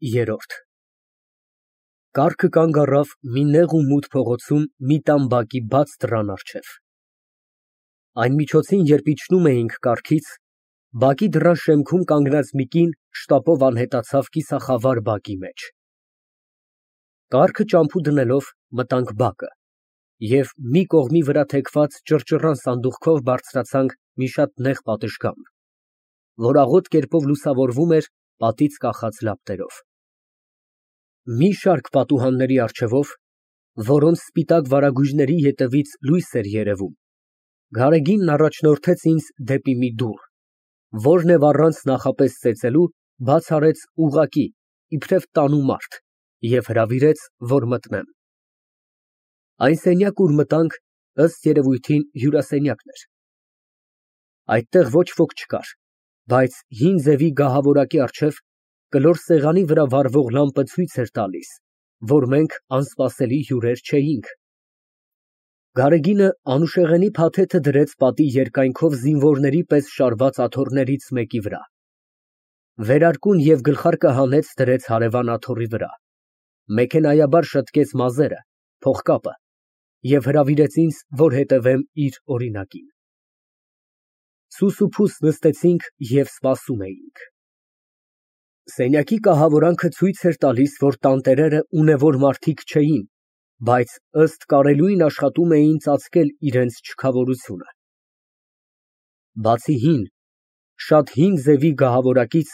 Երրորդ Կառքը կանգ առավ մի նեղ ու մութ փողոցում մի տան բակի բաց դռան առջև։ Այն միջոցին, երբ իջնում էինք կառքից, բակի դռան շեմքում կանգնած մի կին շտապով անհետացավ կիսախավար բակի մեջ։ Կառքը ճամփու դնելով մտանք բակը և մի կողմի վրա թեքված ճռճռան սանդուղքով բարձրացանք մի շատ նեղ պատշգամբ, որ աղոտ կերպով լուսավորվում էր պատից կախած լապտերով։ Մի շարք պատուհանների առջևով, որոնց սպիտակ վարագույրների ետևից լույս էր երևում, Գարեգինն առաջնորդեց ինձ դեպի մի դուռ, որ և առանց նախապես ծեծելու բաց արեց ուղղակի, իբրև տանու մարդ, և հրավիրեց, որ մտնեմ։ Այն սենյակը, ուր մտանք, ըստ երևույթին հյուրասենյակն էր։ Այդտեղ ոչ ոք չկար, բայց հին ձևի գահավորակի առջև կլոր սեղանի վրա վառվող լամպը ցույց էր տալիս, որ մենք անսպասելի հյուրեր չէինք։ Գարեգինը անուշեղենի փաթեթը դրեց պատի երկայնքով զինվորների պես շարված աթոռներից մեկի վրա, վերարկուն և գլխարկը հանեց դրեց հարևան աթոռի վրա, մեքենայաբար շտկեց մազերը, փողկապը և հրավիրեց ինձ, որ հետևեմ իր օրինակին։ Սուս ու փուս նստեցինք և սպասում էինք։ Սենյակի կահավորանքը ցույց էր տալիս, որ տանտերերը ունևոր մարդիկ չէին, բայց ըստ կարելույն աշխատում էին ծածկել իրենց չքավորությունը։ Բացի հին, շատ հին ձևի գահավորակից,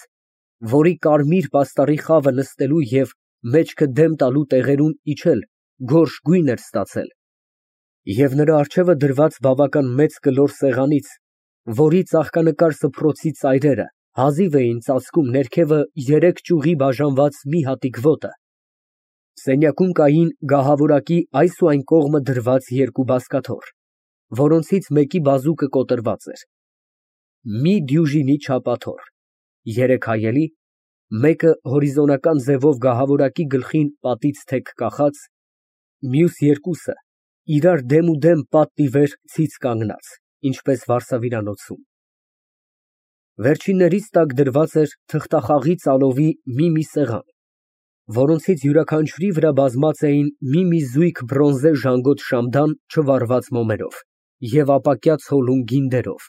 որի կարմիր պաստառի խավը նստելու և մեջքը դեմ տալու տեղերում իջել գորշ գույն էր ստացել, և նրա առջևը դրված բավական մեծ կլոր սեղանից, որի ծաղկանկար սփռոցի ծայրերը հազիվ էին ծածկում ներքևը երեք ճյուղի բաժանված մի հատիկ ոտը, սենյակում կային գահավորակի այս ու այն կողմը դրված երկու բազկաթոռ, որոնցից մեկի բազուկը կոտրված էր, մի դյուժինի չափ աթոռ, երեք հայելի, մեկը հորիզոնական ձևով գահավորակի գլխին պատից թեք կախած, մյուս երկուսը իրար դեմուդեմ պատն ի վեր ցից կանգնած, ինչպես վարսավիրանոցում։ Վերջիններից տակ դրված էր թղթախաղի ծալովի մի սեղան, որոնցից յուրաքանչյուրի վրա բազմած էին մի զույգ բրոնզե ժանգոտ շամդան չվառված մոմերով և ապակյա ցոլուն գինդերով,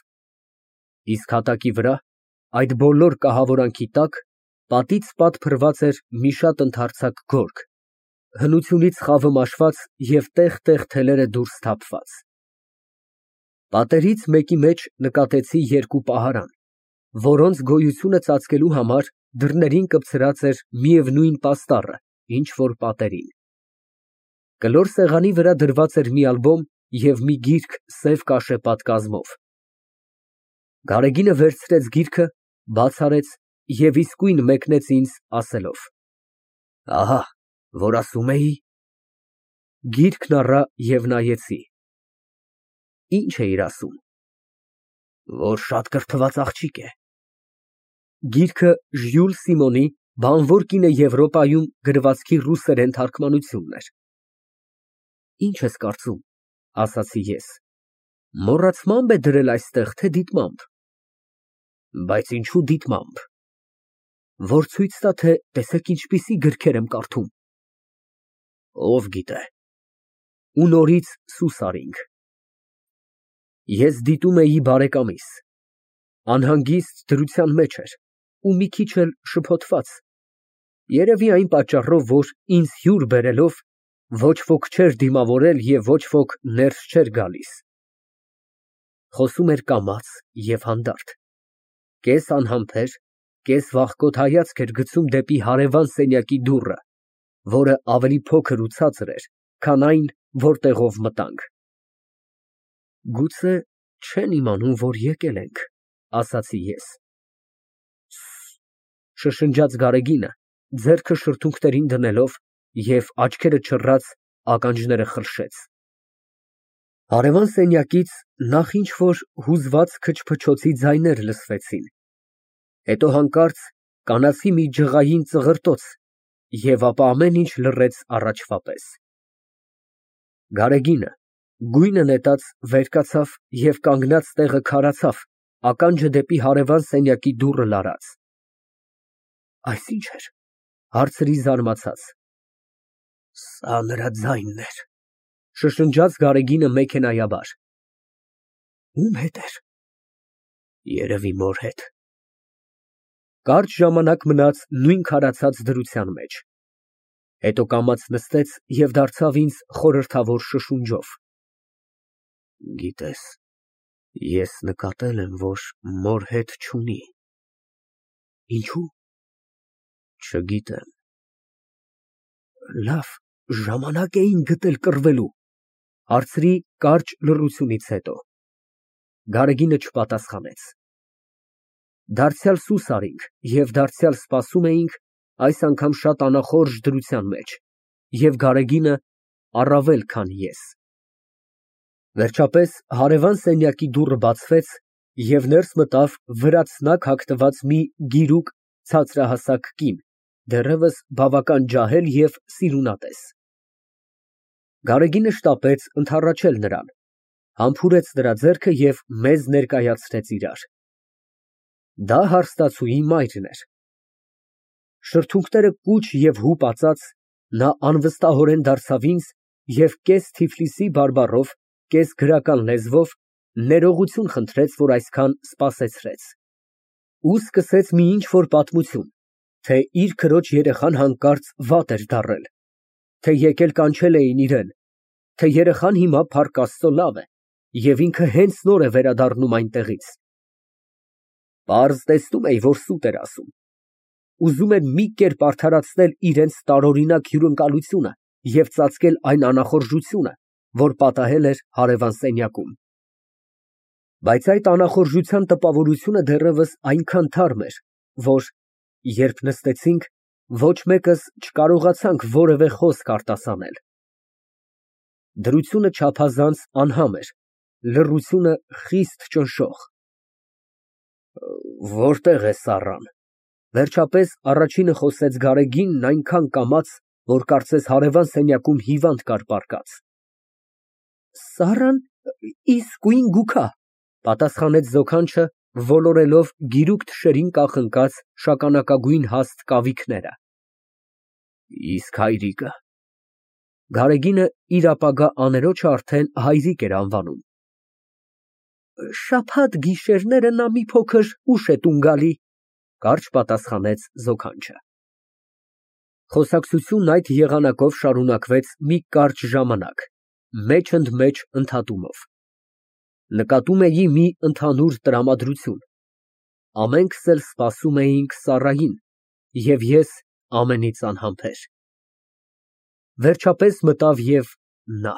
իսկ հատակի վրա, այդ բոլոր կահավորանքի տակ, պատից պատ փռված էր մի շատ ընդարձակ գորգ, հնությունից խավը մաշված և տեղ֊տեղ թելերը դուրս թափված։ Պատերից մեկի մեջ նկատեցի երկու պահարան, որոնց գոյությունը ծածկելու համար դռներին կպցրած էր միևնույն պաստառը, ինչ որ պատերին։ Կլոր սեղանի վրա դրված էր մի ալբոմ և մի գիրք սև կաշեպատ կազմով։ Գարեգինը վերցրեց գիրքը, բաց արեց և իսկույն մեկնեց ինձ, ասելով. «Ահա, որ ասում էի»։ Գիրքն առա և նայեցի։ Ի՞նչ էիր ասում։ Որ շատ կրթված աղջիկ է։ Գիրքը Ժյուլ Սիմոնի «Բանվոր կինը Եվրոպայում» գրվածքի ռուսերեն թարգմանությունն էր։ Ի՞նչ ես կարծում, ասացի ես, մոռացմամբ է դրել այստեղ, թե դիտմամբ։ Բայց ինչո՞ւ դիտմամբ։ Որ ցույց տա, թե տեսեք ինչպիսի գրքեր եմ կարդում։ Ով գիտե։ Ու նորից սուս արինք։ Ես դիտում էի բարեկամիս, անհանգիստ դրության մեջ էր ու մի քիչ էլ շփոթված, երևի այն պատճառով, որ ինձ հյուր բերելով ոչ ոք չէր դիմավորել և ոչ ոք ներս չէր գալիս։ Խոսում էր կամաց և հանդարտ, կես անհամբեր, կես վախկոտ հայացք էր գցում դեպի հարևան սենյակի դուռը, որը ավելի փոքր ու ցածր էր, քան այն, որտեղով մտանք։ Գուցե չեն իմանում, որ եկել ենք, ասացի ես։ Շշնջաց Գարեգինը, ձեռքը շրթունքներին դնելով և աչքերը չռած ականջները խրշեց։ Հարևան սենյակից նախ ինչ֊որ հուզված քչփչոցի ձայներ լսվեցին, հետո հանկարծ կանացի մի ջղային ծղրտոց և ապա ամեն ինչ լռեց առաջվա պես։ Գարեգինը, գույնը նետած, վեր կացավ և կանգնած տեղը քարացավ, ականջը դեպի հարևան սենյակի դուռը լարած։ Այս ի՞նչ էր։ Հարցրի զարմացած։ Սա նրա ձայնն էր, շշնջաց Գարեգինը մեքենայաբար։ Ում հետ էր։ Երևի մոր հետ։ Կարճ ժամանակ մնաց նույն քարացած դրության մեջ, հետո կամաց նստեց և դարձավ ինձ խորհրդավոր շշունջով. Գիտես, ես նկատել եմ, որ մոր հետ չունի։ Ինչու՞։ Չգիտեմ։ Լավ, ժամանակ էին գտել կռվելու, հարցրի կարճ լռությունից հետո։ Գարեգինը չպատասխանեց։ Դարձյալ սուս արինք և դարձյալ սպասում էինք, այս անգամ շատ անախորժ դրության մեջ, և Գարեգինը առավել, քան ես։ Վերջապես հարևան սենյակի դուռը բացվեց, և ներս մտավ վրացնակ հագնված մի գիրուկ ցածրահասակ կին, դեռևս բավական ջահել և սիրունատես։ Գարեգինը շտապեց ընդառաջել նրան, համբուրեց նրա ձեռքը և մեզ ներկայացրեց իրար։ Դա հարստացուի մայրն էր։ Շրթունքները կուչ և հուպ նա անվստահորեն դարձավ ինձ և կես Թիֆլիսի բարբառով, կես գրական լեզվով ներողություն խնդրեց, որ այսքան սպասեցրեց, ու սկսեց մի ինչ֊որ պատմություն, թե իր քրոջ երեխան հանկարծ վատ էր դառել, թե եկել կանչել էին իրան, թե երեխան հիմա, փառք Աստծո, լավ է, և ինքը հենց նոր է վերադառնում այնտեղից։ Պարզ տեսնում էի, որ սուտ էր ասում։ Ուզում էր մի կերպ արդարացնել իրենց տարօրինակ հյուրընկալությունը և ծածկել այն անախորժությունը, որ պատահել էր հարևան սենյակում։ Բայց այդ անախորժության տպավորությունը դեռևս այնքան թարմ էր, որ, երբ նստեցինք, ոչ մեկս չկարողացանք որևէ խոսք արտասանել։ Դրությունը չափազանց անհամ էր, լռությունը խիստ ճնշող։ Որտե՞ղ է Սառան։ Վերջապես առաջինը խոսեց Գարեգինն այնքան կամաց, որ կարծես հարևան սենյակում հիվանդ կար պառկած։ Սառան իսկույն գուքա, պատասխանեց զոքանչը, ոլորելով գիրուկ թշերին կախնկած շագանակագույն հաստ կավիքները։ Իսկ հայրիկը։ Գարեգինը իր ապագա աներոջը արդեն հայրիկ էր անվանում։ Շաբաթ գիշերները նա մի փոքր ուշ է տուն գալի, կարճ պատասխանեց զոքանչը։ Խոսակցությունն այդ եղանակով շարունակվեց մի կարճ ժամանակ, մեջ֊ընդ-մեջ ընդհատումով։ Նկատում էի մի ընդհանուր տրամադրություն։ Ամենքս էլ սպասում էինք Սառային, և ես ամենից անհամբեր։ Վերջապես մտավ և նա։